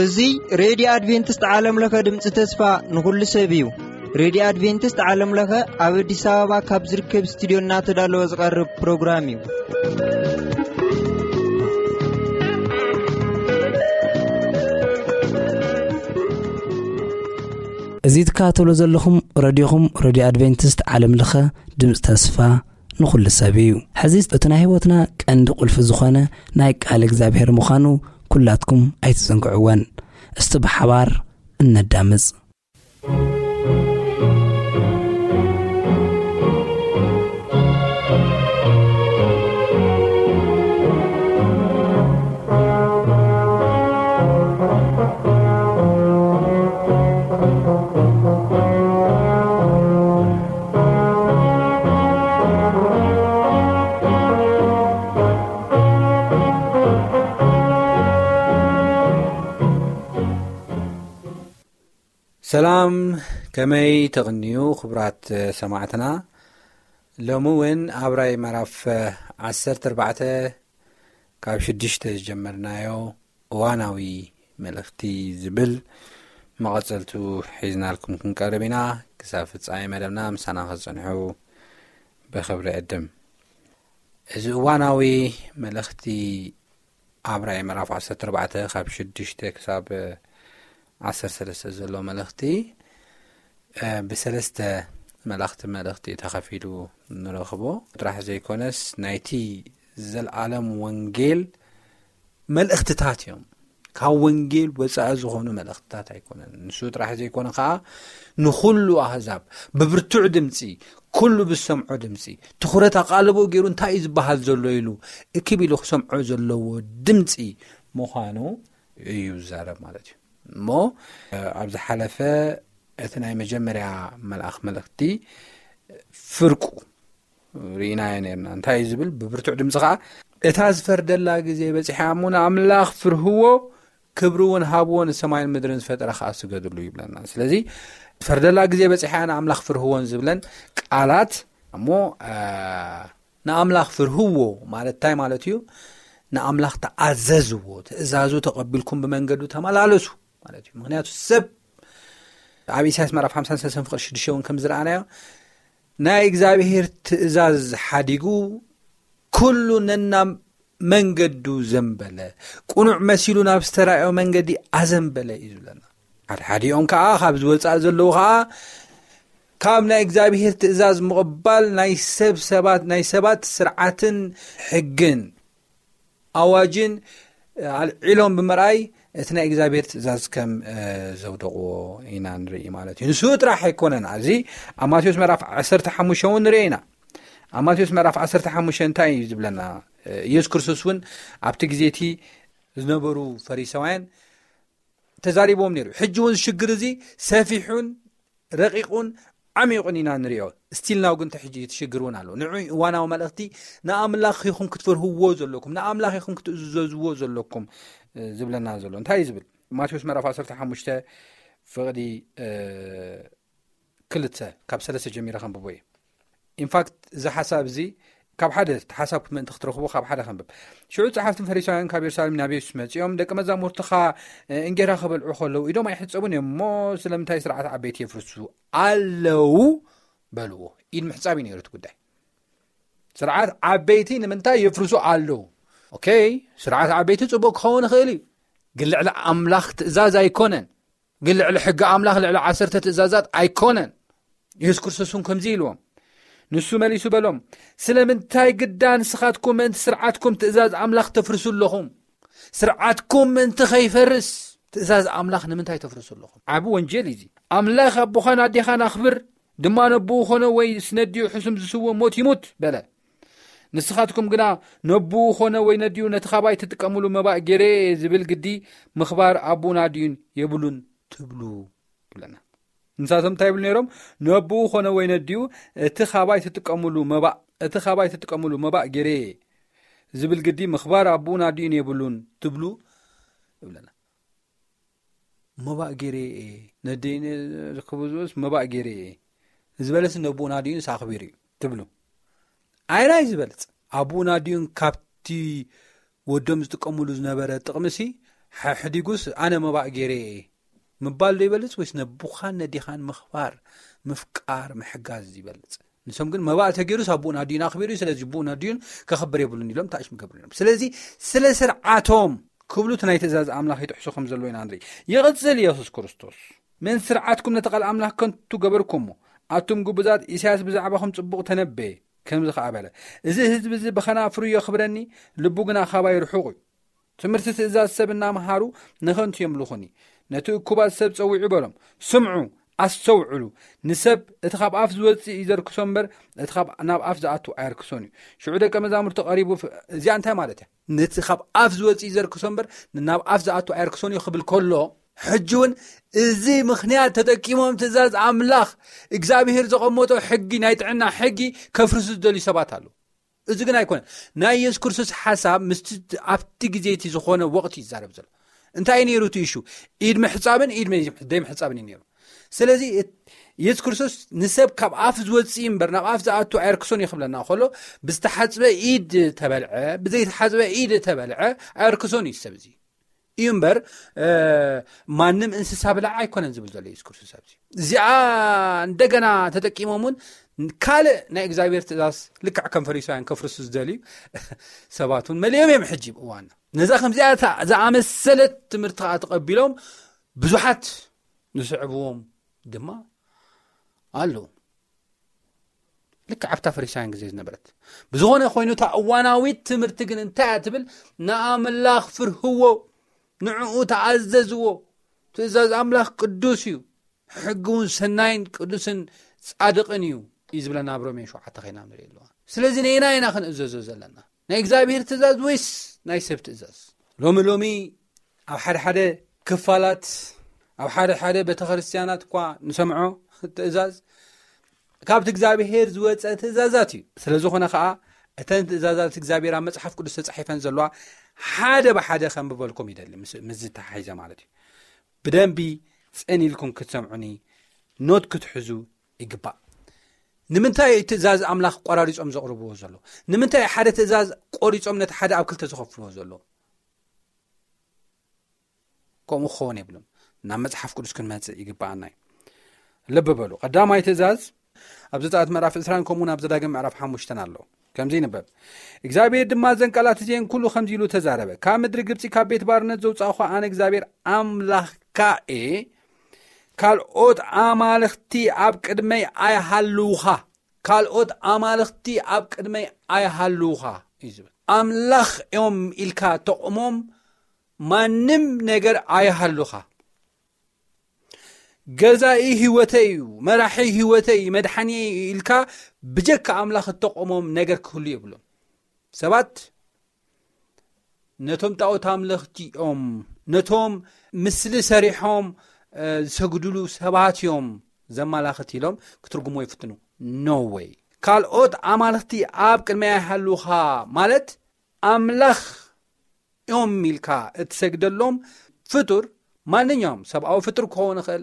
እዚ ሬድዮ ኣድቬንቲስት ዓለም ለኸ ድምፂ ተስፋ ንኹሉ ሰብ እዩ። ሬድዮ ኣድቬንቲስት ዓለም ለኸ ኣብ ኣዲስ ኣበባ ካብ ዝርከብ ስቱዲዮ እናተዳለወ ዝቐርብ ፕሮግራም እዩ። እዚ ትከታተሎ ዘለኹም ረድዮኹም ረድዮ ኣድቬንቲስት ዓለም ለኸ ድምፂ ተስፋ ንኹሉ ሰብ እዩ። ሕዚ እቲ ናይ ህይወትና ቀንዲ ቁልፊ ዝኾነ ናይ ቃል እግዚኣብሔር ምዃኑ ኩላትኩም ኣይትዘንግዕወን። እስቲ ብሓባር እነዳምፅ። ሰላም፣ ከመይ ተቕንዩ ክቡራት ሰማዕትና? ሎሚ እውን ኣብ ራእይ ምዕራፍ ዓሰርተ ኣርባዕተ ካብ ሽዱሽተ ዝጀመርናዮ እዋናዊ መልእኽቲ ዝብል መቐጸልቱ ሒዝናልኩም ክንቀርብ ኢና። ክሳብ ፍጻሜ መደብና ምሳና ክትጸንሑ ብኽብሪ ዕድም። እዚ እዋናዊ መልእኽቲ ኣብ ራእይ ምዕራፍ ዓሰርተ ኣርባዕተ ካብ ሽዱሽተ ክሳብ ዓሰርተ ሰለስተ ዘሎ መልእኽቲ፣ እ፣ ብሰለስተ መላእኽቲ መልእኽቲ ተኸፊሉ ንረኽቦ። ጥራሕ ዘይኮነስ ናይቲ ዘልኣለም ወንጌል መልእኽትታት እዮም። ካብ ወንጌል ወጻኢ ዝኾኑ መልእኽትታት ኣይኮነን። ንሱ ጥራሕ ዘይኮነ ኸዓ ንኹሉ ኣህዛብ ብብርቱዕ ድምፂ፣ ኩሉ ብዝሰምዖ ድምፂ፣ ትኹረት ኣቓልቦ ገይሩ እንታይ እዩ ዝበሃል ዘሎ ኢሉ እክብ ኢሉ ክሰምዖ ዘለዎ ድምፂ ምዃኑ እዩ ዝዛረብ ማለት እዩ። እሞ፣ እ፣ ኣብ ዝሓለፈ እቲ ናይ መጀመርያ መልኣኽ መልእኽቲ ፍርቁ ርኢናዮ ነርና። እንታይ እዩ ዝብል? ብብርቱዕ ድምፂ ኸዓ፣ "እታ ዝፈርደላ ግዜ በፂሓ እሞ ንኣምላኽ ፍርህዎ፣ ክብሪ እውን ሃብዎ፣ ንሰማይን ምድርን ዝፈጠረ ኸዓ ስገድሉ" ይብለና። ስለዚ፣ "ዝፈርደላ ግዜ በፂሓ ንኣምላኽ ፍርህዎን" ዝብለን ቃላት እሞ፣ እ፣ ንኣምላኽ ፍርህዎ ማለት እንታይ ማለት እዩ? ንኣምላኽ ተኣዘዝዎ፣ ትእዛዙ ተቐቢልኩም ብመንገዱ ተመላለሱ ማለት እዩ። ምኽንያቱ ሰብ ኣብ ኢሳያስ ምዕራፍ ሓምሳን ሰለስተን ፍቕዲ ሽዱሽተ እውን ከም ዝረኣናዮ፣ ናይ እግዚኣብሔር ትእዛዝ ሓዲጉ፣ ኩሉ ነናብ መንገዱ ዘንበለ፣ ቅኑዕ መሲሉ ናብ ዝተራእዮ መንገዲ ኣዘንበለ እዩ ዝብለና። ሓድሓዲኦም ከኣ ካብ ዝወጻእ ዘለዉ ከኣ ካብ ናይ እግዚኣብሔር ትእዛዝ ምቕባል ናይ ሰብ ሰባት፣ ናይ ሰባት ስርዓትን ሕግን ኣዋጅን ኣልዒሎም ብምርኣይ እቲ ናይ እግዚኣብሔር ትእዛዝ ከም፣ እ፣ ዘውደቕዎ ኢና ንርኢ ማለት እዩ። ንሱ ጥራሕ ኣይኮነን። ኣብዚ ኣብ ማቴዎስ ምዕራፍ ዓሰርተ ሓሙሽተ እውን ንርኢ ኢና። ኣብ ማቴዎስ ምዕራፍ ዓሰርተ ሓሙሽተ እንታይ እዩ ዝብለና? እ፣ ኢየሱስ ክርስቶስ እውን ኣብቲ ግዜ እቲ ዝነበሩ ፈሪሳውያን ተዛሪቦም ነይሩ። ሕጂ እውን ሽግር እዚ ሰፊሑን ረቂቑን ዓሚቑን ኢና ንሪኦ። ስቲል ናው ግን ተሕጂ ትሽግር እውን ኣሎ። ንዑ እዋናዊ መልእኽቲ ንኣምላኽ ኢኹም ክትፈርህዎ ዘለኩም፣ ንኣምላኽ ኢኹም ክትእዘዝዎ ዘለኩም፣ እ፣ ዝብለና ዘሎ። እንታይ እዩ ዝብል? ማቴዎስ ምዕራፍ ዓሰርተ ሓሙሽተ ፍቕዲ፣ እ፣ ክልተ ካብ ሰለስተ ጀሚረ ከንብቦ እየ። ኢንፋክት፣ እዚ ሓሳብ እዚ ካብ ሓደ፣ እቲ ሓሳብ ምእንቲ ክትረኽቦ ካብ ሓደ ከንብብ። ሽዑ ጸሓፍትን ፈሪሳውያን ካብ የሩሳሌም ናብ የሱስ መጺኦም፣ "ደቂ መዛሙርትኻ፣ እ፣ እንጌራ ክበልዑ ከለዉ ኢዶም ኣይሕጸቡን እዮም እሞ ስለምንታይ ስርዓት ዓበይቲ የፍርሱ ኣለዉ?" በልዎ። ኢድ ምሕጻብ እዩ ነይሩ እቲ ጉዳይ። ስርዓት ዓበይቲ ንምንታይ የፍርሱ ኣለዉ? ኦኬ፣ ስርዓት ዓበይቲ ጽቡቕ ክኸውን ይኽእል እዩ፣ ግን ልዕሊ ኣምላኽ ትእዛዝ ኣይኮነን። ግን ልዕሊ ሕጊ ኣምላኽ፣ ልዕሊ ዓሰርተ ትእዛዛት ኣይኮነን። የሱስ ክርስቶስ እውን ከምዚ ኢልዎም። ንሱ መሊሱ በሎም፣ "ስለምንታይ ግዳ ንስኻትኩም ምእንቲ ስርዓትኩም ትእዛዝ ኣምላኽ ተፍርሱ ኣለኹም? ስርዓትኩም ምእንቲ ኸይፈርስ ትእዛዝ ኣምላኽ ንምንታይ ተፍርሱ ኣለኹም?" ዓቢ ወንጀል እዩ እዚ። "ኣምላኽ ኣቦኻን ኣዴኻን ኣኽብር፣ ድማ ነቦኡ ኾነ ወይስ ነዲኡ ሕሱም ዝስወ ሞት ይሙት" በለ። ንስኻትኩም ግና ነቦኡ ኾነ ወይ ነዲኡ ነቲ ኻባይ ትጥቀምሉ መባእ ገይረ እየ ዝብል ግዲ ምኽባር ኣቦኡን ኣዲኡን የብሉን ትብሉ ይብለና። ንሳቶም እንታይ ይብሉ ነይሮም? ነቦኡ ኾነ ወይ ነዲኡ እቲ ኻባይ ትጥቀምሉ መባእ፣ እቲ ኻባይ ትጥቀምሉ መባእ ገይረ እየ ዝብል ግዲ ምኽባር ኣቦኡን ኣዲኡን የብሉን ትብሉ ይብለና። መባእ ገይረ እየ፣ ነደይ ን-፣ ክብዝኡስ መባእ ገይረ እየ። ዝበለስ ነብኡን ኣዲኡንስ ኣኽቢሩ እዩ ትብሉ። ኣየናይ ዝበልጽ? ኣቡኡን ኣዲኡን ካብቲ ወዶም ዝጥቀምሉ ዝነበረ ጥቕምሲ ሓሕዲጉስ ኣነ መባእ ገይረ እየ ምባል ዶ ይበልጽ ወይስ ነቡኻን ነዲኻን ምኽባር፣ ምፍቃር፣ ምሕጋዝ ይበልጽ? ንሶም ግን መባእ ተገይሩስ ኣቡኡን ኣዲኡን ኣኽቢሩ እዩ፣ ስለዚ ኣቡኡን ኣዲኡን ከኽብር የብሉን ኢሎም ታእሽም ገብሩ እዮም። ስለዚ ስለ ስርዓቶም ክብሉ እቲ ናይ ትእዛዝ ኣምላኽ ይጥሕሱ ከም ዘለዎ ኢና ንርኢ። ይቕጽል ኢየሱስ ክርስቶስ፣ "ምን ስርዓትኩም ነቲ ቃል ኣምላኽ ከንቱ ገበርኩሞ፣ ኣቱም ግቡዛት፣ ኢሳያስ ብዛዕባኹም ጽቡቕ ተነበየ፣ ከምዚ ኸኣ በለ፣ እዚ ህዝቢ እዚ ብኸናፍሩ የኽብረኒ፣ ልቡ ግና ኻባይ ርሑቕ እዩ። ትምህርቲ ትእዛዝ ሰብ እናመሃሩ ንኸንቱ የምልኹኒ። ነቲ እኩባት ሰብ ጸዊዑ በሎም፣ ስምዑ፣ ኣስተውዕሉ፣ ንሰብ እቲ ካብ ኣፍ ዝወጽእ እዩ ዘርክሶ እምበር፣ እቲ ካብ ናብ ኣፍ ዝኣቱ ኣየርክሶን እዩ። ሽዑ ደቀ መዛሙርቲ ቀሪቡ ፍ-" እዚኣ እንታይ ማለት እያ? ነቲ ካብ ኣፍ ዝወጽእ እዩ ዘርክሶ እምበር፣ ናብ ኣፍ ዝኣቱ ኣየርክሶን እዩ ክብል ከሎ፣ ሕጂ እውን እዚ ምኽንያት ተጠቂሞም ትእዛዝ ኣምላኽ እግዚኣብሔር ዘቐመጦ ሕጊ፣ ናይ ጥዕና ሕጊ ከፍርሱ ዝደልዩ ሰባት ኣለዉ። እዚ ግን ኣይኮነን። ናይ የሱስ ክርስቶስ ሓሳብ ምስቲ ኣብቲ ግዜ እቲ ዝኾነ ወቕቲ ይዛረብ ዘሎ። እንታይ እዩ ነይሩ እቲ ኢሹ? ኢድ ምሕጻብን ኢድ መይ-፣ ዘይምሕጻብን እዩ ነይሩ። ስለዚ እት-፣ የሱስ ክርስቶስ ንሰብ ካብ ኣፍ ዝወጽእ እምበር ናብ ኣፍ ዝኣቱ ኣየርክሶን እዩ ክብለና ከሎ፣ ብዝተሓጽበ ኢድ ተበልዐ፣ ብዘይተሓጽበ ኢድ ተበልዐ ኣየርክሶን እዩ ሰብ እዚ። እዩ እምበር፣ እ፣ ማንም እንስሳ ብላዕ ኣይኮነን ዝብል ዘሎ የሱስ ክርስቶስ ኣብዚ። እዚኣ እንደገና ተጠቂሞም እውን ካልእ ናይ እግዚኣብሔር ትእዛዝ ልክዕ ከም ፈሪሳውያን ከፍርሱ ዝደልዩ ሰባት እውን መሊኦም እዮም ሕጂ እዋንና። ነዛ ከምዚኣ እታ ዝኣመሰለት ትምህርቲ ከዓ ተቐቢሎም ብዙሓት ዝስዕብዎም ድማ ኣለዉ። ልክዕ ኣብታ ፈሪሳውያን ግዜ ዝነበረት። ብዝኾነ ኮይኑ እታ እዋናዊት ትምህርቲ ግን እንታይ እያ ትብል? ንኣምላኽ ፍርህዎ፣ ንዕኡ ተኣዘዝዎ። ትእዛዝ ኣምላኽ ቅዱስ እዩ፣ ሕጊ እውን ሰናይን ቅዱስን ጻድቕን እዩ እዩ ዝብለና ኣብ ሮሜ ሸውዓተ ኸይና ንርኢ ኣለዋ። ስለዚ ነየና ኢና ክንእዘዞ ዘለና? ናይ እግዚኣብሔር ትእዛዝ ወይስ ናይ ሰብ ትእዛዝ? ሎሚ ሎሚ ኣብ ሓደ ሓደ ክፋላት፣ ኣብ ሓደ ሓደ ቤተክርስትያናት እኳ ንሰምዖ ትእዛዝ ካብቲ እግዚኣብሔር ዝወጸ ትእዛዛት እዩ። ስለ ዝኾነ ኸኣ እተን ትእዛዛት እግዚኣብሔር ኣብ መጽሓፍ ቅዱስ ተጻሒፈን ዘለዋ ሓደ ብሓደ ከንብበልኩም ይደሊ፣ ምስ፣ ምስ ዝተሓሒዘ ማለት እዩ። ብደንቢ ጽን ኢልኩም ክትሰምዑኒ ኖት ክትሕዙ ይግባእ። ንምንታይ ትእዛዝ ኣምላኽ ቆራሪጾም ዘቕርብዎ ዘለዉ? ንምንታይ ሓደ ትእዛዝ ቆሪጾም ነቲ ሓደ ኣብ ክልተ ዝኸፍልዎ ዘለዉ? ከምኡ ክኸውን የብሉን። ናብ መጽሓፍ ቅዱስ ክንመጽእ ይግብኣና እዩ። ልቢ በሉ፣ ቀዳማይ ትእዛዝ ኣብ ዘጸኣት ምዕራፍ ዕስራን ከምኡ ናብ ዘዳግም ምዕራፍ ሓሙሽተን ኣሎ። ከምዚ ይንበብ፣ እግዚኣብሔር ድማ እዘን ቃላት እዚአን ኩሉ ከምዚ ኢሉ ተዛረበ፣ ካብ ምድሪ ግብጺ ካብ ቤት ባርነት ዘውጻእኹ ኣነ እግዚኣብሔር ኣምላኽካ እየ። ካልኦት ኣማልኽቲ ኣብ ቅድመይ ኣይሃልውኻ፣ ካልኦት ኣማልኽቲ ኣብ ቅድመይ ኣይሃልውኻ እዩ ዝብል። ኣምላኽ እዮም ኢልካ ተቕሞም ማንም ነገር ኣይሃሉኻ። ገዛኢ ህይወተይ እዩ፣ መራሒ ህይወተይ እዩ፣ መድሓኒ እዩ ኢልካ ብጀካ ኣምላኽ እተቕሞም ነገር ክህሉ የብሎም። ሰባት ነቶም ጣዖት ኣምለኽቲ እዮም፣ ነቶም ምስሊ ሰሪሖም፣ እ፣ ዝሰግድሉ ሰባት እዮም ዘማላኽት ኢሎም ክትርጉሞ ይፍትኑ። No way። ካልኦት ኣማልኽቲ ኣብ ቅድመይ ኣይሃሉኻ ማለት ኣምላኽ እዮም ኢልካ እትሰግደሎም ፍጡር፣ ማንኛውም ሰብኣዊ ፍጡር ክኸውን ይኽእል፣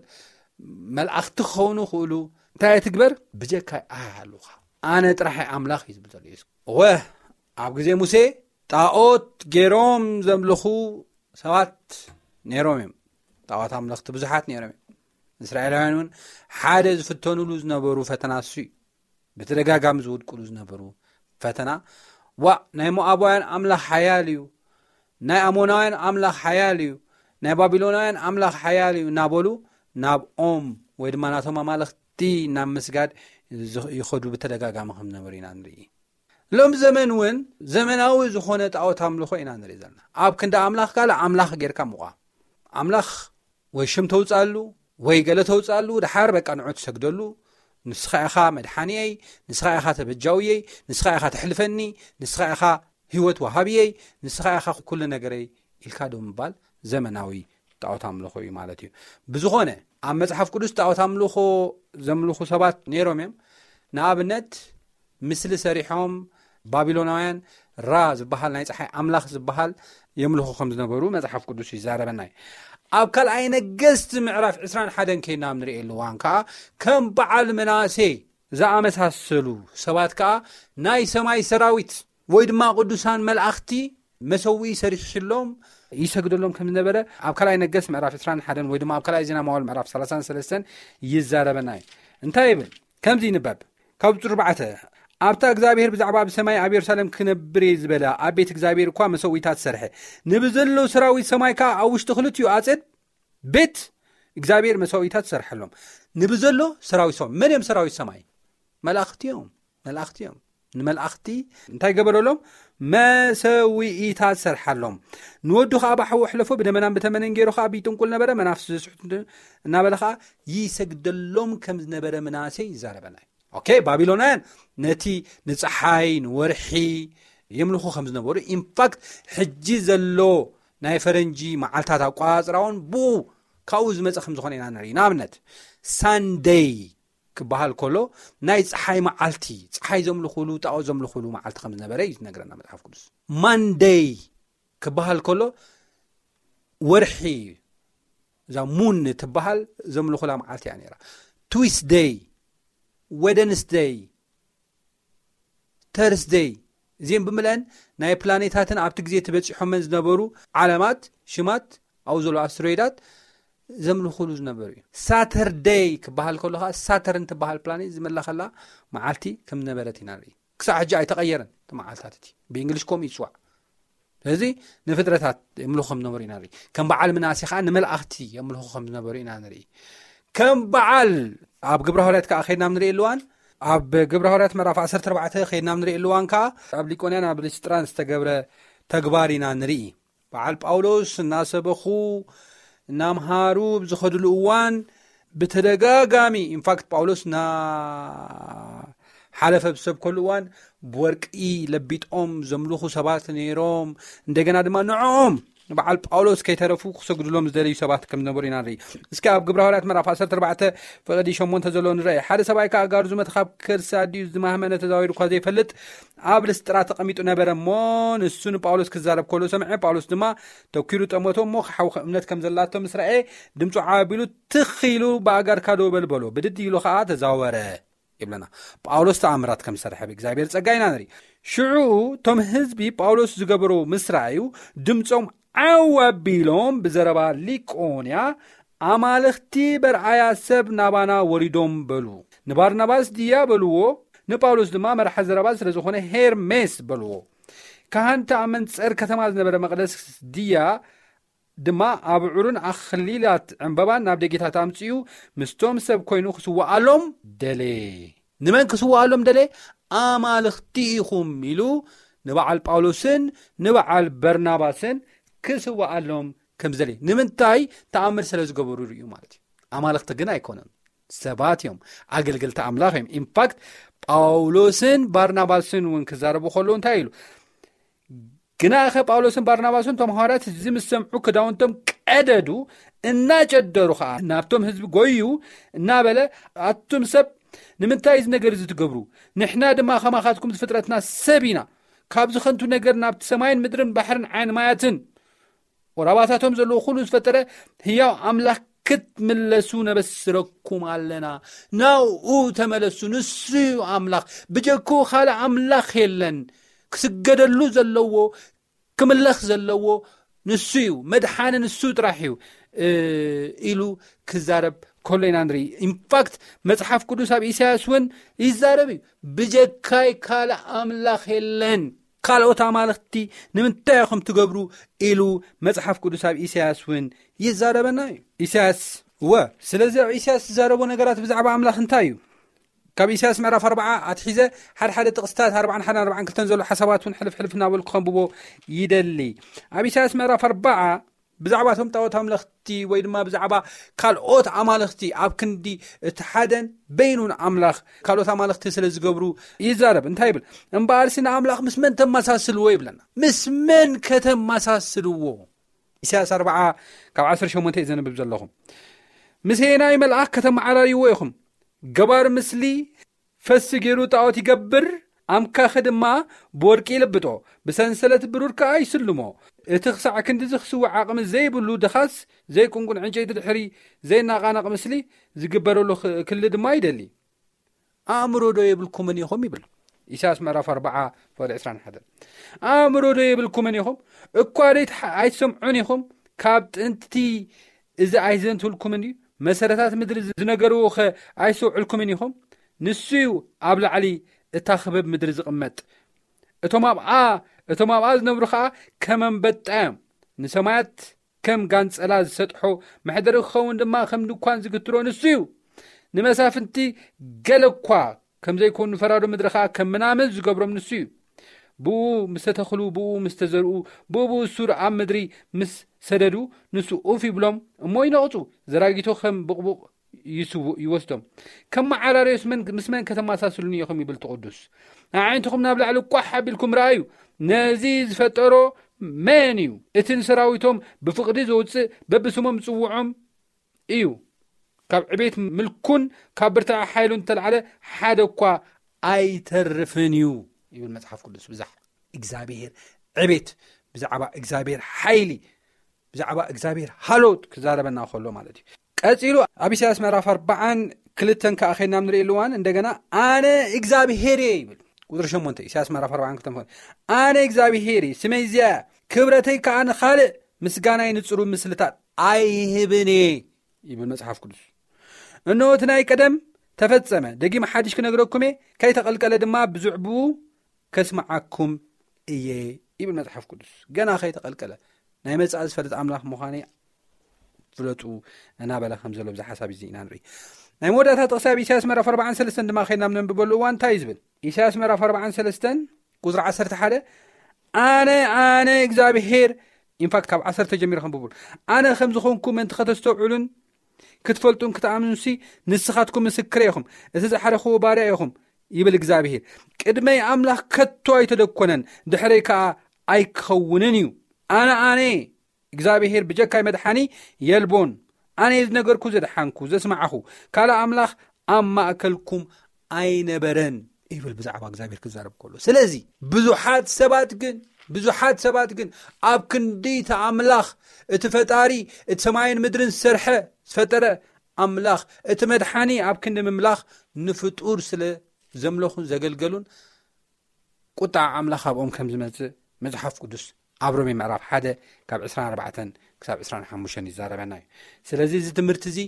መልኣኽቲ ክኸውን ይኽእሉ፣ እንታይ ትግበር? ብጀካይ ኣይሃሉኻ። ኣነ ጥራሕ ኣምላኽ እዩ ዝብል ዘሎ የሱስ። እወ፣ ኣብ ግዜ ሙሴ ጣዖት ገይሮም ዘምልኹ ሰባት ነይሮም እዮም። ጣዖት ኣምለኽቲ ብዙሓት ነይሮም እዮም። እስራኤላውያን እውን ሓደ ዝፍተኑሉ ዝነበሩ ፈተና እሱ እዩ። ብተደጋጋሚ ዝወድቁሉ ዝነበሩ ፈተና፣ ዋእ፣ ናይ ሞኣባውያን ኣምላኽ ሓያል እዩ፣ ናይ ኣሞናውያን ኣምላኽ ሓያል እዩ፣ ናይ ባቢሎናውያን ኣምላኽ ሓያል እዩ እናበሉ ናብኦም ወይ ድማ ናቶም ኣማልኽቲ ናብ ምስጋድ ዝ-፣ ይኸዱ ብተደጋጋሚ ከም ዝነበሩ ኢና ንርኢ። ሎም ዘመን እውን ዘመናዊ ዝኾነ ጣዖት ኣምልኾ ኢና ንርኢ ዘለና። ኣብ ክንዲ ኣምላኽ ካልእ ኣምላኽ ጌርካ ምቋም። ኣምላኽ ወይ ሽም ተውፅኣሉ ወይ ገለ ተውፅኣሉ፣ ድሓር በቃ ንዑ ትሰግደሉ። ንስኻ ኢኻ መድሓኒየይ፣ ንስኻ ኢኻ ተበጃውየይ፣ ንስኻ ኢኻ ተሕልፈኒ፣ ንስኻ ኢኻ ህይወት ወሃብየይ፣ ንስኻ ኢኻ ኩሉ ነገረይ ኢልካ ዶ ምባል ዘመናዊ ጣዖት ኣምልኾ እዩ ማለት እዩ። ብዝኾነ ኣብ መጽሓፍ ቅዱስ ጣዖት ኣምልኾ ዘምልኹ ሰባት ነይሮም እዮም። ንኣብነት ምስሊ ሰሪሖም ባቢሎናውያን ራ ዝበሃል ናይ ፀሓይ ኣምላኽ ዝበሃል የምልኹ ከም ዝነበሩ መጽሓፍ ቅዱስ ይዛረበና እዩ። ኣብ ካልኣይ ነገስቲ ምዕራፍ ዕስራን ሓደን ከይና ኣብ ንርእየሉ እዋን ከዓ ከም በዓል ምናሴ ዝኣመሳሰሉ ሰባት ከኣ ናይ ሰማይ ሰራዊት ወይ ድማ ቅዱሳን መላእኽቲ መሰውኢ ሰሪሕሎም ይሰግደሎም ከም ዝነበረ ኣብ ካልኣይ ነገስ ምዕራፍ ዕስራን ሓደን ወይ ድማ ኣብ ካልኣይ ዜና መዋዕል ምዕራፍ ሰላሳን ሰለስተን ይዛረበና እዩ። እንታይ ይብል? ከምዚ ይንበብ። ካብ ቁጽሪ ኣርባዕተ፣ ኣብታ እግዚኣብሔር ብዛዕባ ኣብ ሰማይ ኣብ የሩሳሌም ክነብር እየ ዝበለ ኣብ ቤት እግዚኣብሔር እኳ መሰውኢታት ሰርሐ፣ ንብዘሎ ሰራዊት ሰማይ ከኣ ኣብ ውሽጢ ክልቲኡ ኣጽድ ቤት እግዚኣብሔር መሰውኢታት ሰርሐሎም። ንብዘሎ ሰራዊት ሰማይ። መን እዮም ሰራዊት ሰማይ? መላእኽቲ እዮም። መላእኽቲ እዮም። ንመላእኽቲ እንታይ ገበረሎም? መሰውኢታት ሰርሓሎም። ንወዱ ኸዓ ብሓዊ ኣሕለፎ፣ ብደመናን ብተመነን ገይሩ ኸዓ ብጥንቁል ነበረ፣ መናፍስቲ ዘስሕቱ እናበለ ኸዓ ይሰግደሎም ከም ዝነበረ ምናሴ ይዛረበና እዩ። ኦኬ፣ ባቢሎናውያን ነቲ ንፀሓይ ንወርሒ የምልኹ ከም ዝነበሩ፣ ኢንፋክት ሕጂ ዘሎ ናይ ፈረንጂ መዓልታት ኣቆፃፅራ እውን ብኡ ካብኡ ዝመፀ ከም ዝኾነ ኢና ንርኢ። ንኣብነት ሳንደይ ክበሃል ከሎ ናይ ፀሓይ መዓልቲ፣ ፀሓይ ዘምልኹሉ፣ ጣዖት ዘምልኹሉ መዓልቲ ከም ዝነበረ እዩ ዝነግረና መጽሓፍ ቅዱስ። ማንደይ ክበሃል ከሎ ወርሒ፣ እዛ ሙን ትበሃል፣ ዘምልኹላ መዓልቲ እያ ነይራ። ትዊስደይ፣ ወደንስደይ፣ ተርስደይ፣ እዚኦም ብምልአን ናይ ፕላኔታትን ኣብቲ ግዜ ተበጺሖመን ዝነበሩ ዓለማት ሽማት ኣብኡ ዘለዉ ኣስትሮይዳት ዘምልኹሉ ዝነበሩ እዩ። ሳተርደይ ክበሃል ከሎ ኸዓ ሳተርን ትበሃል ፕላኔት ዝመለኸላ መዓልቲ ከም ዝነበረት ኢና ንርኢ። ክሳዕ ሕጂ ኣይተቐየረን እቲ መዓልታት እቲ። ብእንግሊሽ ከምኡ ይፅዋዕ። ስለዚ ንፍጥረታት የምልኹ ከም ዝነበሩ ኢና ንርኢ። ከም በዓል ምናሴ ኸዓ ንመላእኽቲ የምልኹ ከም ዝነበሩ ኢና ንርኢ። ከም በዓል ኣብ ግብረ ሃዋርያት ከዓ ከይድና ንርኢ ኣለዋን ኣብ ግብረ ሃዋርያት ምዕራፍ ዓሰርተ ኣርባዕተ ከይድና ንርኢ ኣለዋን ከዓ ኣብ ሊቆንያን ኣብ ሊስጥራን ዝተገብረ ተግባር ኢና ንርኢ። በዓል ጳውሎስ እናሰበኹ እናምሃሩ ብዝኸድሉ እዋን ብተደጋጋሚ፣ ኢንፋክት ጳውሎስ እናሓለፈ ብዝሰብከሉ እዋን ብወርቂ ለቢጦም ዘምልኹ ሰባት ነይሮም። እንደገና ድማ ንዕኦም ንበዓል ጳውሎስ ከይተረፉ ክሰግድሎም ዝደለዩ ሰባት ከም ዝነበሩ ኢና ንርኢ። እስኪ ኣብ ግብረ ሃዋርያት ምዕራፍ ዓሰርተ ኣርባዕተ ፍቕዲ ሸሞንተ ዘሎ ንረአ። ሓደ ሰብኣይ ከኣ ኣጋሩ ዝመተ ካብ ከርሲ ኣዲኡ ዝማህመነ ተዛዊሩ እኳ ዘይፈልጥ ኣብ ልስጥራ ተቐሚጡ ነበረ እሞ፣ ንሱ ንጳውሎስ ክዛረብ ከሎ ሰምዐ። ጳውሎስ ድማ ተኪሩ ጠመቶ እሞ፣ ክሓውኸ እምነት ከም ዘላቶ ምስ ረኣየ፣ ድምፁ ዓቢሉ ትኽ ኢሉ፣ "ብኣጋርካ ደው በል" በሎ። ብድድ ኢሉ ኸኣ ተዛወረ። ይብለና። ጳውሎስ ተኣምራት ከም ዝሰርሐ ብእግዚኣብሔር ጸጋ ኢና ንርኢ። ሽዑ እቶም ህዝቢ ጳውሎስ ዝገበሮ ምስ ረኣዩ ድምጾም ዓው ኣቢሎም ብዘረባ ሊቆንያ፣ "ኣማልኽቲ በርኣያ ሰብ ናባና ወሪዶም" በሉ። ንባርናባስ ድያ በልዎ፣ ንጳውሎስ ድማ መርሓ ዘረባ ስለ ዝኾነ ሄርሜስ በልዎ። ካህን ተኣመን ጸር ከተማ ዝነበረ መቕደስ ድያ ድማ ኣብዑርን ኣኽሊላት ዕምባባን ናብ ደጌታት ኣምጺኡ ምስቶም ሰብ ኮይኑ ክስውኣሎም ደለየ። ንመን ክስውኣሎም ደለየ? ኣማልኽቲ ኢኹም ኢሉ ንበዓል ጳውሎስን ንበዓል በርናባስን ክስውኣሎም ከም ዝደለየ። ንምንታይ? ተኣምር ስለ ዝገበሩ እዩ ማለት እዩ። ኣማልኽቲ ግን ኣይኮነን፣ ሰባት እዮም፣ ኣገልገልቲ ኣምላኽ እዮም። ኢንፋክት ጳውሎስን ባርናባስን እውን ክዛረቡ ከለዉ እንታይ ኢሉ? ግናኸ ጳውሎስን ባርናባስን እቶም ሃዋርያት እዚ ምስ ሰምዑ ክዳውንቶም ቀደዱ፣ እናጨደሩ ኸዓ ናብቶም ህዝቢ ጎዩ እናበለ፣ "ኣቱም ሰብ፣ ንምንታይ እዚ ነገር እዚ ትገብሩ? ንሕና ድማ ከማኻትኩም ዝፍጥረትና ሰብ ኢና። ካብዚ ከንቱ ነገር ናብቲ ሰማይን ምድርን ባሕርን ዓይኒ ማያትን ወራባታቶም ዘለዎ ኩሉ ዝፈጠረ ህያው ኣምላኽ ክትምለሱ ነበስረኩም ኣለና። ናብኡ ተመለሱ። ንሱ እዩ ኣምላኽ። ብጀክኡ ካልእ ኣምላኽ የለን። ክስገደሉ ዘለዎ፣ ክምለኽ ዘለዎ ንሱ እዩ። መድሓኒ ንሱ ጥራሕ እዩ" እ፣ ኢሉ ክዛረብ ከሎ ኢና ንርኢ። ኢንፋክት መጽሓፍ ቅዱስ ኣብ ኢሳያስ እውን ይዛረብ እዩ። "ብጀካይ ካልእ ኣምላኽ የለን። ካልኦት ኣማልኽቲ ንምንታይ ኢኹም ትገብሩ?" ኢሉ መጽሓፍ ቅዱስ ኣብ ኢሳያስ እውን ይዛረበና እዩ። ኢሳያስ፣ እወ፣ ስለዚ ኣብ ኢሳያስ ዝዛረቦ ነገራት ብዛዕባ ኣምላኽ እንታይ እዩ? ካብ ኢሳያስ ምዕራፍ ኣርባዓ ኣትሒዘ ሓደ ሓደ ጥቕስታት ኣርባዓን ሓደን ኣርባዓን ክልተን ዘሎ ሓሳባት እውን ሕልፍ ሕልፍ እናበልኩ ከንብቦ ይደሊ። ኣብ ኢሳያስ ምዕራፍ ኣርባዓ ብዛዕባ እቶም ጣዖት ኣምለኽቲ ወይ ድማ ብዛዕባ ካልኦት ኣማልኽቲ ኣብ ክንዲ እቲ ሓደን በይኑን ኣምላኽ ካልኦት ኣማልኽቲ ስለ ዝገብሩ ይዛረብ። እንታይ ይብል? "እምበኣርሲ ንኣምላኽ ምስ መን ተመሳስልዎ?" ይብለና። ምስ መን ከተመሳስልዎ? ኢሳያስ ኣርባዓ ካብ ዓሰርተ ሸሞንተ እዩ ዘንብብ ዘለኹ። "ምስ ሄናይ መልኣኽ ከተመዓራርይዎ ኢኹም? ገባር ምስሊ ፈሲ ገይሩ ጣዖት ይገብር፣ ኣምካኺ ድማ ብወርቂ ይልብጦ፣ ብሰንሰለት ብሩር ከኣ ይስልሞ። እቲ ክሳዕ ክንድዚ ክስዋዕ ዓቕሚ ዘይብሉ ድኻስ ዘይቁንቁን ዕንጨይቲ ድሕሪ ዘይነቓነቕ ምስሊ ዝግበረሉ ክ-፣ ክሊ ድማ ይደሊ። ኣእምሮ ዶ የብልኩምን ኢኹም ይብል። ኢሳያስ ምዕራፍ ኣርባዓ ፍቕዲ ዕስራን ሓደን። ኣእምሮ ዶ የብልኩምን ኢኹም? እኳ ዶ ኣይትሓ-፣ ኣይትሰምዑን ኢኹም? ካብ ጥንቲ እዚ ኣይዘንትልኩምን እዩ? መሰረታት ምድሪ ዝነገርዎ ኸ ኣይሰውዕልኩምን ኢኹም? ንሱ እዩ ኣብ ላዕሊ እታ ክበብ ምድሪ ዝቕመጥ። እቶም ኣብኣ፣ እቶም ኣብኣ ዝነብሩ ኸኣ ከም ኣንበጣ እዮም። ንሰማያት ከም ጋንጸላ ዝሰጥሖ፣ መሕደሪ ክኸውን ድማ ከም ድኳን ዝግትሮ ንሱ እዩ። ንመሳፍንቲ ገለ እኳ ከም ዘይኮኑ፣ ፈራዶ ምድሪ ኸኣ ከም ምናምን ዝገብሮም ንሱ እዩ። ብኡ ምስ ተተኽሉ፣ ብኡ ምስ ተዘርኡ፣ ብኡ ብኡ ሱር ኣብ ምድሪ ምስ ሰደዱ፣ ንሱ ኡፍ ይብሎም እሞ ይነቕጹ። ዘራጊቶ ከም ብቕቡቕ ይስው-፣ ይወስዶም። ከም መዓራርዮስ መን-፣ ምስ መን ከተመሳስሉኒ ኢኹም ይብል እቲ ቅዱስ። ኣዒንትኹም ናብ ላዕሊ ቋሕ ኣቢልኩም ረኣዩ። ነዚ ዝፈጠሮ መን እዩ? እቲ ንሰራዊቶም ብፍቕዲ ዘውጽእ በብስሞም ዝጽውዖም እዩ። ካብ ዕቤት ምልኩን ካብ ብርታዐ ሓይሉን እተላዕለ ሓደ እኳ ኣይተርፍን እዩ ይብል መጽሓፍ ቅዱስ። ብዛዕባ እግዚኣብሔር ዕቤት፣ ብዛዕባ እግዚኣብሔር ሓይሊ፣ ብዛዕባ እግዚኣብሔር ሃሎት ክዛረበና ከሎ ማለት እዩ። ቀጺሉ ኣብ ኢሳያስ ምዕራፍ ኣርባዓን ክልተን ከኣ ኸይድና ንርእየሉ እዋን እንደገና ኣነ እግዚኣብሔር እየ ይብል። ቁጽሪ ሸሞንተ፣ ኢሳያስ ምዕራፍ ኣርባዓን ክልተን፣ ኣነ እግዚኣብሔር እየ፣ ስመይ እዚኣ እያ፣ ክብረተይ ከኣ ንኻልእ፣ ምስጋናይ ንጽሩ ምስልታት ኣይህብን እየ ይብል መጽሓፍ ቅዱስ። እንሆ እቲ ናይ ቀደም ተፈጸመ፣ ደጊም ሓድሽ ክነግረኩም እየ፣ ከይተቐልቀለ ድማ ብዝዕብኡ ከስምዓኩም እየ ይብል መጽሓፍ ቅዱስ። ገና ከይተቐልቀለ ናይ መጻኢ ዝፈልጥ ኣምላኽ ምዃነይ ፍለጡ እናበለ ከም ዘሎ ብዚ ሓሳብ እዚ ኢና ንርኢ። ናይ መወዳእታ ጥቕሲ ኣብ ኢሳያስ ምዕራፍ ኣርባዓን ሰለስተን ድማ ከይድና ኣብ ነንብበሉ እዋን እንታይ እዩ ዝብል? ኢሳያስ ምዕራፍ ኣርባዓን ሰለስተን ቁጽሪ ዓሰርተ ሓደ፣ ኣነ፣ ኣነ እግዚኣብሄር፣ ኢንፋክት ካብ ዓሰርተ ጀሚረ ከንብቡል፣ ኣነ ከም ዝኾንኩ ምእንቲ ከተስተውዕሉን ክትፈልጡን ክትኣምኑንሲ ንስኻትኩም ምስክረ ኢኹም፣ እቲ ዝሓደኽዎ ባርያ ኢኹም ይብል እግዚኣብሄር። ቅድመይ ኣምላኽ ከቶ ኣይተደኮነን፣ ድሕረይ ከኣ ኣይክኸውንን እዩ። ኣነ፣ ኣነ እግዚኣብሄር ብጀካይ መድሓኒ የልቦን። ኣነ ዝነገርኩ ዘድሓንኩ ዘስማዕኹ ካልእ ኣምላኽ ኣብ ማእከልኩም ኣይነበረን ይብል ብዛዕባ እግዚኣብሄር ክዛረብ ከሎ። ስለዚ ብዙሓት ሰባት ግን፣ ብዙሓት ሰባት ግን ኣብ ክንዲ እቲ ኣምላኽ፣ እቲ ፈጣሪ፣ እቲ ሰማይን ምድርን ዝሰርሐ፣ ዝፈጠረ ኣምላኽ፣ እቲ መድሓኒ ኣብ ክንዲ ምምላኽ ንፍጡር ስለ ዘምለኹን ዘገልገሉን ቁጣ ኣምላኽ ኣብኦም ከም ዝመጽእ መጽሓፍ ቅዱስ ኣብ ሮሜ ምዕራፍ ሓደ ካብ ዕስራን ኣርባዕተን ክሳብ ዕስራን ሓሙሽተን ይዛረበና እዩ። ስለዚ እዚ ትምህርቲ እዚ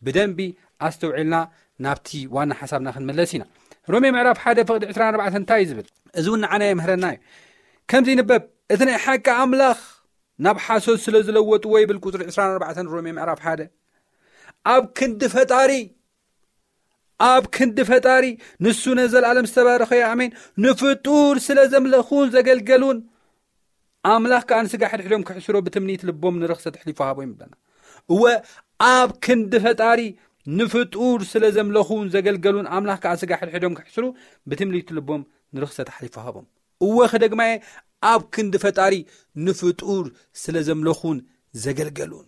ብደንቢ ኣስተውዒልና ናብቲ ዋና ሓሳብና ክንምለስ ኢና። ሮሜ ምዕራፍ ሓደ ፍቕዲ ዕስራን ኣርባዕተን እንታይ እዩ ዝብል? እዚ እውን ንዓና የምህረና እዩ። ከምዚ ይንበብ፣ እቲ ናይ ሓቂ ኣምላኽ ናብ ሓሶት ስለ ዝለወጥዎ ይብል ቁጽሪ ዕስራን ኣርባዕተን ሮሜ ምዕራፍ ሓደ። ኣብ ክንዲ ፈጣሪ፣ ኣብ ክንዲ ፈጣሪ፣ ንሱ ነዘለኣለም ዝተባረኸ እዩ፣ ኣሜን። ንፍጡር ስለ ዘምለኹን ዘገልገሉን፣ ኣምላኽ ከኣ ንስጋ ሕድሕዶም ክሕስሮ ብትምኒት ልቦም ንርኽሰት ኣሕሊፉ ሃቦም ይብለና። እወ፣ ኣብ ክንዲ ፈጣሪ፣ ንፍጡር ስለ ዘምለኹን ዘገልገሉን፣ ኣምላኽ ከኣ ስጋ ሕድሕዶም ክሕስሩ ብትምኒት ልቦም ንርኽሰት ኣሕሊፉ ሃቦም። እወ፣ ክደግማየ፣ ኣብ ክንዲ ፈጣሪ፣ ንፍጡር ስለ ዘምለኹን ዘገልገሉን።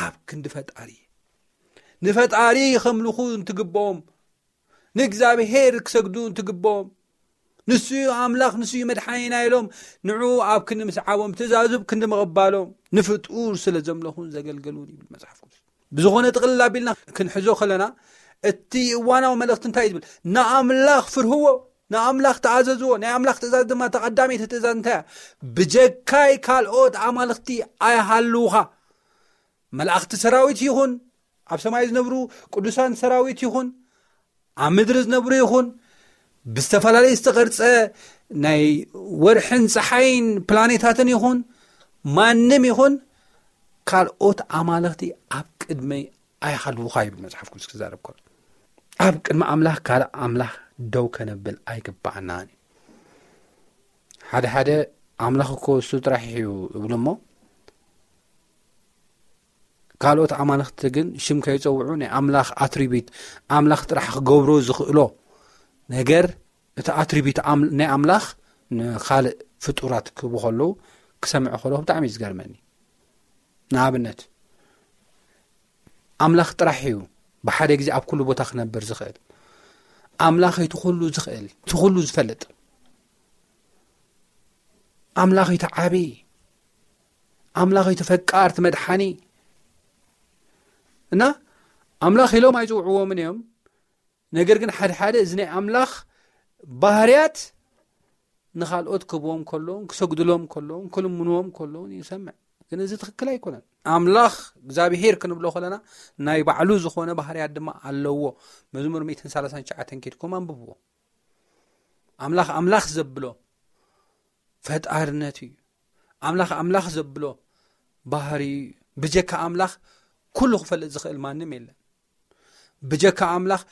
ኣብ ክንዲ ፈጣሪ፣ ንፈጣሪ ከምልኹ እንትግብኦም፣ ንእግዚኣብሄር ክሰግዱ እንትግብኦም፣ ንሱ እዩ ኣምላኽ፣ ንሱ እዩ መድሓኒና ኢሎም፣ ንዑ ኣብ ክንዲ ምስዓቦም፣ ትእዛዙ ኣብ ክንዲ ምቕባሎም፣ ንፍጡር ስለ ዘምለኹን ዘገልገሉን ይብል መጽሓፍ ቅዱስ። ብዝኾነ ጥቕልል ኣቢልና ክንሕዞ ከለና፣ እቲ እዋናዊ መልእኽቲ እንታይ እዩ ዝብል? ንኣምላኽ ፍርህዎ፣ ንኣምላኽ ተኣዘዝዎ። ናይ ኣምላኽ ትእዛዝ ድማ፣ እታ ቀዳመይቲ ትእዛዝ እንታይ እያ? ብጀካይ ካልኦት ኣማልኽቲ ኣይሃልውኻ። መላእኽቲ ሰራዊት ይኹን፣ ኣብ ሰማይ ዝነብሩ ቅዱሳን ሰራዊት ይኹን፣ ኣብ ምድሪ ዝነብሩ ይኹን፣ ብዝተፈላለየ ዝተቐርጸ ናይ ወርሕን ጸሓይን ፕላኔታትን ይኹን፣ ማንም ይኹን፣ ካልኦት ኣማልኽቲ ኣብ ቅድመይ ኣይሃልውኻ ይብል መጽሓፍ ቅዱስ ክዛረብ ከሎ። ኣብ ቅድሚ ኣምላኽ ካልእ ኣምላኽ ደው ከነብል ኣይግባኣናን እዩ። ሓደ ሓደ ኣምላኽ እኮ እሱ ጥራሕ እዩ እብሉ እሞ፣ ካልኦት ኣማልኽቲ ግን ሽም ከይጸውዑ ናይ ኣምላኽ ኣትሪቢት፣ ኣምላኽ ጥራሕ ክገብሮ ዝኽእሎ ነገር፣ እቲ ኣትሪቢት ኣም-፣ ናይ ኣምላኽ ንኻልእ ፍጡራት ክህቡ ከለዉ ክሰምዕ ከለኹ ብጣዕሚ እዩ ዝገርመኒ። ንኣብነት፣ ኣምላኽ ጥራሕ እዩ ብሓደ ግዜ ኣብ ኩሉ ቦታ ክነብር ዝኽእል። ኣምላኽ እቲ ኩሉ ዝኽእል፣ እቲ ኩሉ ዝፈልጥ። ኣምላኽ እቲ ዓቢ፣ ኣምላኽ እቲ ፈቃር፣ እቲ መድሓኒ። እና ኣምላኽ ኢሎም ኣይጽውዕዎምን እዮም። ነገር ግን ሓደ ሓደ እዚ ናይ ኣምላኽ ባህርያት ንኻልኦት ክህብዎም ከለውን፣ ክሰግድሎም ከለውን፣ ክልምንዎም ከለውን ይሰምዕ። ግን እዚ ትኽክል ኣይኮነን። ኣምላኽ እግዚኣብሄር ክንብሎ ከለና ናይ ባዕሉ ዝኾነ ባህርያት ድማ ኣለዎ። መዝሙር ሚእትን ሰላሳን ትሽዓተን ኬድኩም ኣንብብዎ። ኣምላኽ ኣምላኽ ዘብሎ ፈጣርነት እዩ። ኣምላኽ ኣምላኽ ዘብሎ ባህሪ እዩ። ብጀካ ኣምላኽ ኩሉ ክፈልጥ ዝኽእል ማንም የለን። ብጀካ ኣምላኽ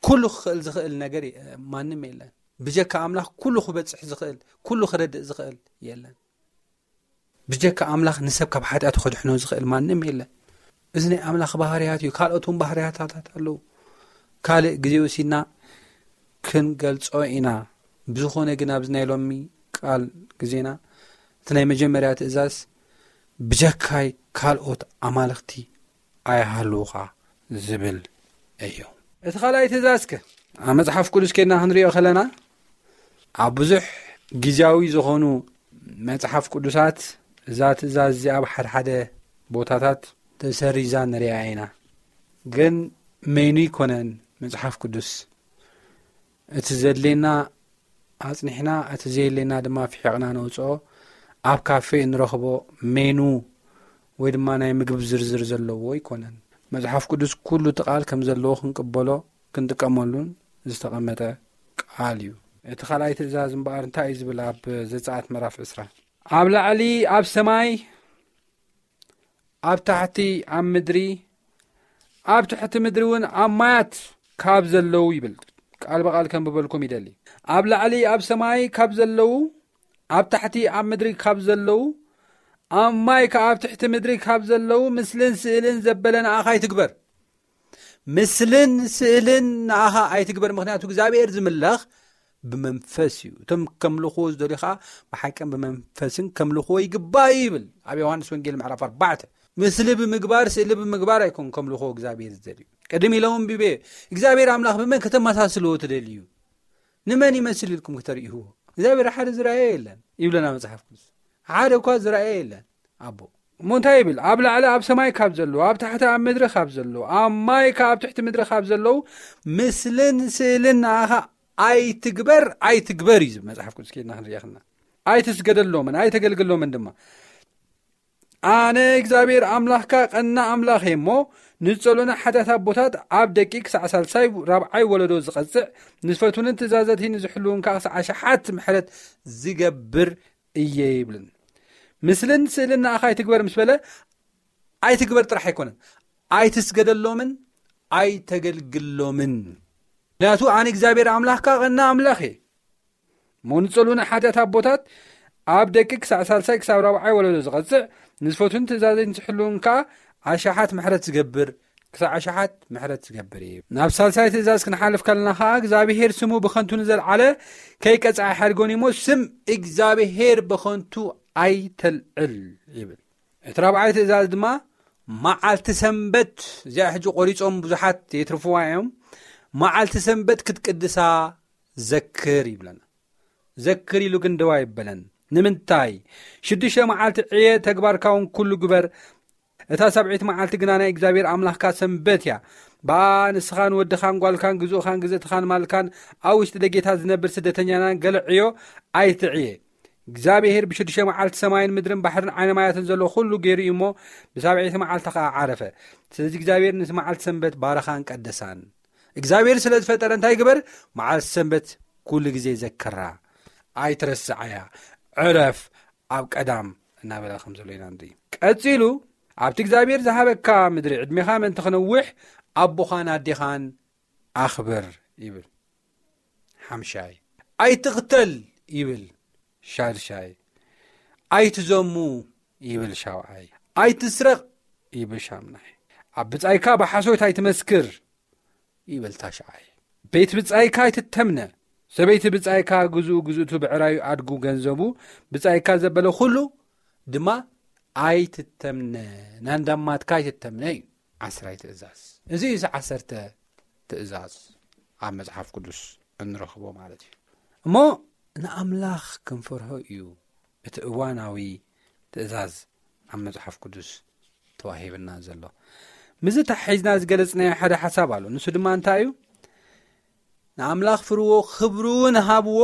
ኩሉ ክኽእል ዝኽእል ነገር የ- ማንም የለን። ብጀካ ኣምላኽ ኩሉ ክበጽሕ ዝኽእል፣ ኩሉ ክረድእ ዝኽእል የለን። ብጀካ ኣምላኽ ንሰብ ካብ ሓጢኣቱ ከድሕኖ ዝኽእል ማንም የለን። እዚ ናይ ኣምላኽ ባህርያት እዩ። ካልኦት እውን ባህርያታት ኣለዉ። ካልእ ግዜ ወሲድና ክንገልጾ ኢና። ብዝኾነ ግን ኣብዚ ናይ ሎሚ ቃል ግዜና እቲ ናይ መጀመርያ ትእዛዝ ብጀካይ ካልኦት ኣማልኽቲ ኣይሃልውኻ ዝብል እዩ። እቲ ካልኣይ ትእዛዝ ከ ኣብ መጽሓፍ ቅዱስ ኬድና ክንሪኦ ከለና ኣብ ብዙሕ ግዜያዊ ዝኾኑ መጽሓፍ ቅዱሳት እዛ ትእዛዝ እዚኣ ኣብ ሓደ ሓደ ቦታታት ተሰሪዛ ንሪኣ ኢና። ግን መይኑ ይኮነን መጽሓፍ ቅዱስ እቲ ዘድልየና ኣጽኒሕና እቲ ዘየድልየና ድማ ፍሒቕና ነውጽኦ ኣብ ካፌ እንረኽቦ ሜኑ ወይ ድማ ናይ ምግብ ዝርዝር ዘለዎ ኣይኮነን። መጽሓፍ ቅዱስ ኩሉ እቲ ቃል ከም ዘለዎ ክንቅበሎ ክንጥቀመሉን ዝተቐመጠ ቃል እዩ። እቲ ካልኣይ ትእዛዝ እምበኣር እንታይ እዩ ዝብል? ኣብ ዘጸኣት ምዕራፍ ዕስራ ኣብ ላዕሊ ኣብ ሰማይ ኣብ ታሕቲ ኣብ ምድሪ ኣብ ትሕቲ ምድሪ እውን ኣብ ማያት ካብ ዘለዉ ይብል። ቃል ብቓል ከንብበልኩም ይደሊ። ኣብ ላዕሊ ኣብ ሰማይ ካብ ዘለዉ ኣብ ታሕቲ ኣብ ምድሪ ካብ ዘለዉ ኣብ ማይ ከኣ ኣብ ትሕቲ ምድሪ ካብ ዘለዉ ምስልን ስእልን ዘበለ ንኣኻ ኣይትግበር። ምስልን ስእልን ንኣኻ ኣይትግበር፣ ምኽንያቱ እግዚኣብሔር ዝምለኽ ብመንፈስ እዩ። እቶም ከምልኽዎ ዝደልዩ ኸዓ ብሓቅን ብመንፈስን ከምልኽዎ ይግባእ እዩ ይብል ኣብ ዮሃንስ ወንጌል ምዕራፍ ኣርባዕተ። ምስሊ ብምግባር ስእሊ ብምግባር ኣይኮን ከምልኽዎ እግዚኣብሔር ዝደልዩ። ቅድም ኢሎም ኣንቢበ እግዚኣብሔር ኣምላኽ ብመን ከተመሳስልዎ ትደልዩ? ንመን ይመስል ኢልኩም ክተርእይዎ? እግዚኣብሔር ሓደ ዝረኣየ የለን ይብለና መጽሓፍ ቅዱስ። ሓደ እኳ ዝረኣየ የለን ኣቦ። እሞ እንታይ ይብል? ኣብ ላዕሊ ኣብ ሰማይ ካብ ዘለዉ ኣብ ታሕቲ ኣብ ምድሪ ካብ ዘለዉ ኣብ ማይ ካብ ኣብ ትሕቲ ምድሪ ካብ ዘለዉ ምስልን ስእልን ንኣኻ ኣይትግበር ኣይትግበር እዩ ዝብል መጽሓፍ ቅዱስ ኬድና ክንሪኦ ከለና። ኣይትስገደሎምን ኣይተገልግሎምን ድማ ኣነ እግዚኣብሔር ኣምላኽካ ቀና ኣምላኽ እየ እሞ ንጸሎና ሓጢኣት ኣቦታት ኣብ ደቂ ክሳዕ ሳልሳይ ራብዓይ ወለዶ ዝቐጽዕ ንዝፈትውንን ትእዛዘቲ ንዝሕልውን ከዓ ክሳዕ ኣሽሓት ምሕረት ዝገብር እየ ይብልን። ምስልን ስእልን ንኣኻ ኣይትግበር ምስ በለ ኣይትግበር ጥራሕ ኣይኮነን፣ ኣይትስገደሎምን ኣይተገልግሎምን። ምክንያቱ ኣነ እግዚኣብሔር ኣምላኽካ ቀና ኣምላኽ እየ። እሞ ንጸሉና ሓጢኣት ኣቦታት ኣብ ደቂ ክሳዕ ሳልሳይ ክሳብ ራብዓይ ወለዶ ዝቐጽዕ ንዝፈቱን ትእዛዘይ ንዝሕልውን ከኣ ኣሽሓት ምሕረት ዝገብር ክሳብ ኣሽሓት ምሕረት ዝገብር እዩ። ናብ ሳልሳይ ትእዛዝ ክንሓልፍ ከለና ከኣ እግዚኣብሔር ስሙ ብኸንቱ ንዘልዓለ ከይቀጽዓ ሓድጎን እሞ ስም እግዚኣብሔር ብኸንቱ ኣይተልዕል ይብል። እቲ ራብዓይ ትእዛዝ ድማ መዓልቲ ሰንበት እዚኣ ሕጂ ቆሪጾም ብዙሓት የትርፍዋ እዮም። መዓልቲ ሰንበት ክትቅድሳ ዘክር ይብለና። ዘክር ኢሉ ግን ደው ኣይበለን። ንምንታይ? ሽዱሽተ መዓልቲ ዕየ ተግባርካ እውን ኩሉ ግበር። እታ ሳብዒት መዓልቲ ግና ናይ እግዚኣብሔር ኣምላኽካ ሰንበት እያ። ብኣ ንስኻን ወድኻን ጓልካን ግዙእኻን ግዝእትኻን ማልካን ኣብ ውሽጢ ደጌታት ዝነብር ስደተኛናን ገለ ዕዮ ኣይትዕየ። እግዚኣብሔር ብሽዱሽተ መዓልቲ ሰማይን ምድርን ባሕርን ዓይነ ማያትን ዘሎ ኩሉ ገይሩ እዩ እሞ ብሳብዒቲ መዓልቲ ኸዓ ዓረፈ። ስለዚ እግዚኣብሔር ነቲ መዓልቲ ሰንበት ባረኻን ቀደሳን። እግዚኣብሔር ስለ ዝፈጠረ እንታይ ግበር? መዓልቲ ሰንበት ኩሉ ግዜ ዘክራ፣ ኣይትረስዓያ፣ ዕረፍ ኣብ ቀዳም እናበለ ከም ዘሎ ኢና ንርኢ። ቀጺሉ ኣብቲ እግዚኣብሔር ዝሃበካ ምድሪ ዕድሜኻ ምእንቲ ክነውሕ ኣቦኻን ኣዴኻን ኣኽብር ይብል። ሓምሻይ ኣይትቕተል ይብል። ሻድሻይ ኣይትዘሙ ይብል። ሻውዓይ ኣይትስረቕ ይብል። ሻምናይ ኣብ ብጻይካ ብሓሶት ኣይትመስክር ይብል። ታሽዓይ ቤት ብጻይካ ኣይትተምነ። ሰበይቲ ብጻይካ ግዝኡ ግዝእቱ ብዕራዩ ኣድጉ ገንዘቡ ብጻይካ ዘበለ ኩሉ ድማ ኣይትተምነ። ናንዳማትካ ኣይትተምነ እዩ። ዓስራይ ትእዛዝ እዚ እዩ። ዓሰርተ ትእዛዝ ኣብ መጽሓፍ ቅዱስ እንረኽቦ ማለት እዩ። እሞ ንኣምላኽ ክንፈርሆ እዩ እቲ እዋናዊ ትእዛዝ ኣብ መጽሓፍ ቅዱስ ተዋሂብና ዘሎ። ምስዚ ተሓሒዝና ዝገለጽናዮ ሓደ ሓሳብ ኣሎ። ንሱ ድማ እንታይ እዩ? ንኣምላኽ ፍርዎ፣ ክብሪ እውን ሃብዎ፣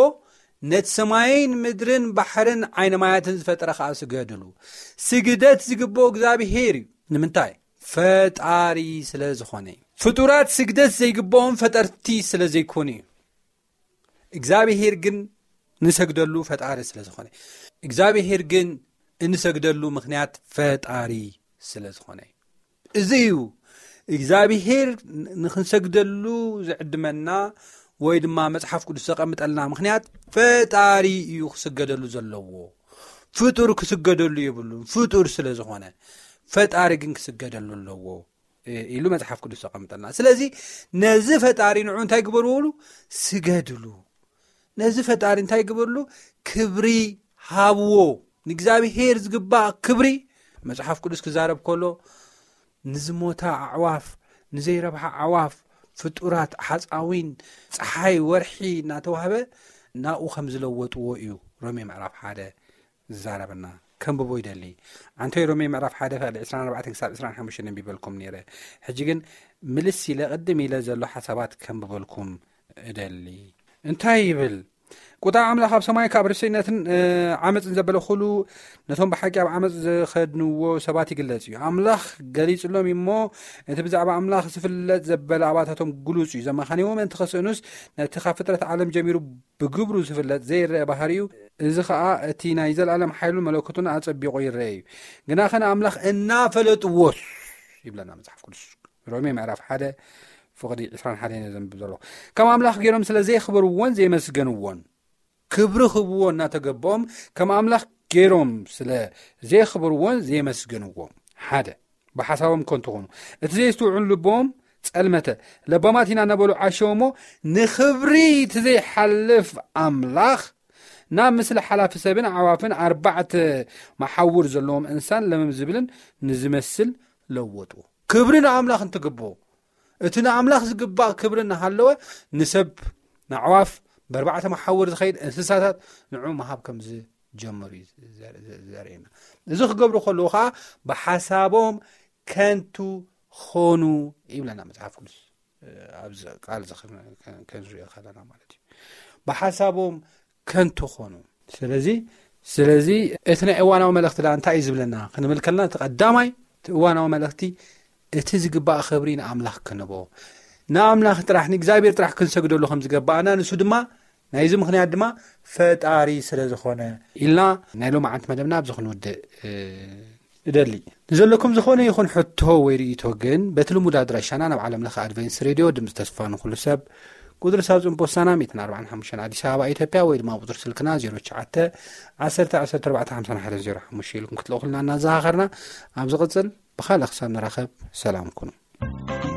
ነቲ ሰማይን ምድርን ባሕርን ዓይነ ማያትን ዝፈጠረ ኸኣ ስገድሉ። ስግደት ዝግብኦ እግዚኣብሄር እዩ። ንምንታይ? ፈጣሪ ስለ ዝኾነ እዩ። ፍጡራት ስግደት ዘይግብኦም ፈጠርቲ ስለ ዘይኮኑ እዩ። እግዚኣብሄር ግን ንሰግደሉ ፈጣሪ ስለ ዝኾነ። እግዚኣብሄር ግን እንሰግደሉ ምኽንያት ፈጣሪ ስለ ዝኾነ እዩ። እዚ እዩ እግዚኣብሄር ንኽንሰግደሉ ዝዕድመና፣ ወይ ድማ መጽሓፍ ቅዱስ ዘቐምጠልና ምኽንያት። ፈጣሪ እዩ ክስገደሉ ዘለዎ፣ ፍጡር ክስገደሉ የብሉን። ፍጡር ስለ ዝኾነ፣ ፈጣሪ ግን ክስገደሉ ኣለዎ ኢሉ መጽሓፍ ቅዱስ ዘቐምጠልና። ስለዚ ነዚ ፈጣሪ ንዑ እንታይ ግበርዎሉ? ስገድሉ። ነዚ ፈጣሪ እንታይ ግበርሉ? ክብሪ ሃብዎ። ንእግዚኣብሄር ዝግባእ ክብሪ። መጽሓፍ ቅዱስ ክዛረብ ከሎ፣ ንዝሞታ ኣዕዋፍ፣ ንዘይረብሓ ኣዕዋፍ፣ ፍጡራት፣ ሓፃዊን፣ ፀሓይ፣ ወርሒ እናተዋህበ ናብኡ ከም ዝለወጥዎ እዩ ሮሜ ምዕራፍ ሓደ ዝዛረበና። ከንብቦ ይደሊ። ኣንቶይ ሮሜ ምዕራፍ ሓደ ፍቕዲ ዕስራን ኣርባዕተን ክሳብ ዕስራን ሓሙሽተን ኣንቢበልኩም ነይረ። ሕጂ ግን ምልስ ኢለ፣ ቅድም ኢለ ዘሎ ሓሳባት ከንብበልኩም እደሊ። እንታይ ይብል? ቁጣ ኣምላኽ ኣብ ሰማይ ካብ ርሰይነትን ዓመፅን ዘበለ ኩሉ ነቶም ብሓቂ ኣብ ዓመፅ ዝኸድንዎ ሰባት ይግለጽ እዩ። ኣምላኽ ገሊጽሎም እዩ እሞ፣ እቲ ብዛዕባ ኣምላኽ ዝፍለጥ ዘበለ ኣባታቶም ግሉጽ እዩ። ዘመኻንዎም ምእንቲ ከስእኑስ፣ ነቲ ካብ ፍጥረት ዓለም ጀሚሩ ብግብሩ ዝፍለጥ ዘይረአ ባህሪኡ፣ እዚ ኸኣ እቲ ናይ ዘለኣለም ሓይሉን መለኮቱን ኣጸቢቑ ይረአ እዩ። ግናኸ ንኣምላኽ እናፈለጥዎስ፣ ይብለና መጽሓፍ ቅዱስ። ሮሜ ምዕራፍ ሓደ ፍቕዲ ዕስራን ሓደን እየ ዘንብብ ዘለኹ። ከም ኣምላኽ ገይሮም ስለ ዘየኽበርዎን ዘየመስገንዎን፣ ክብሪ ክህብዎ እናተገበኦም፣ ከም ኣምላኽ ገይሮም ስለ ዘየኽበርዎን ዘየመስገንዎን፣ ሓደ፣ ብሓሳቦም ከንቱ ኾኑ። እቲ ዘየስትውዕሉ ልቦም ጸልመተ። ለባማት ኢና እናበሉ ዓሸው እሞ፣ ንኽብሪ እቲ ዘይሓልፍ ኣምላኽ ናብ ምስሊ ሓላፊ ሰብን ኣዕዋፍን ኣርባዕተ መሓውር ዘለዎም እንሳን ለመም ዝብልን ንዝመስል ለወጥዎ። ክብሪ ንኣምላኽ እንትግብኦ፣ እቲ ንኣምላኽ ዝግባእ ክብሪ እናሃለወ፣ ንሰብ፣ ንኣዕዋፍ፣ ብኣርባዕተ መሓውር ዝኸይድ እንስሳታት ንዑ ምሃብ ከም ዝጀመሩ እዩ ዘር-፣ ዘ-፣ ዘርእየና። እዚ ክገብሩ ከለዉ ኸዓ ብሓሳቦም ከንቱ ኾኑ ይብለና መጽሓፍ ቅዱስ። ኣብዚ ቃል እዚ ከን-፣ ከን-፣ ከንሪኦ ከለና ማለት እዩ። ብሓሳቦም ከንቱ ኾኑ። ስለዚ፣ ስለዚ እቲ ናይ እዋናዊ መልእኽቲ ደኣ እንታይ እዩ ዝብለና ክንብል ከለና፣ እቲ ቀዳማይ፣ እቲ እዋናዊ መልእኽቲ፣ እቲ ዝግባእ ክብሪ ንኣምላኽ ክንቦ፣ ንኣምላኽ ጥራሕ፣ ንእግዚኣብሔር ጥራሕ ክንሰግደሉ ከም ዝገባኣና፣ ንሱ ድማ፣ ናይዚ ምኽንያት ድማ ፈጣሪ ስለ ዝኾነ ኢልና ናይ ሎማዓንቲ መደብና ኣብዚ ክንውድእ፣ እ፣ እደሊ። ንዘለኩም ዝኾነ ይኹን ሕቶ ወይ ርእይቶ ግን፣ በቲ ልሙድ ኣድራሻና ናብ ዓለም ለኸ ኣድቨንስ ሬድዮ ድምፂ ተስፋ ንኹሉ ሰብ፣ ቁፅሪ ሳጹን ፖስታና ሚእትን ኣርባዓን ሓሙሽተን ኣዲስ ኣበባ ኢትዮጵያ፣ ወይ ድማ ቁፅሪ ስልክና ዜሮ ትሽዓተ፣ ዓሰርተ፣ ዓሰርተ ኣርባዕተ፣ ሓምሳ ሓደ ዜሮ ሓሙሽተ ኢልኩም ክትልእኹልና እናዘኻኸርና፣ ኣብ ዝቕጽል ብኻልእ ክሳብ ንራኸብ ሰላም ኩኑ።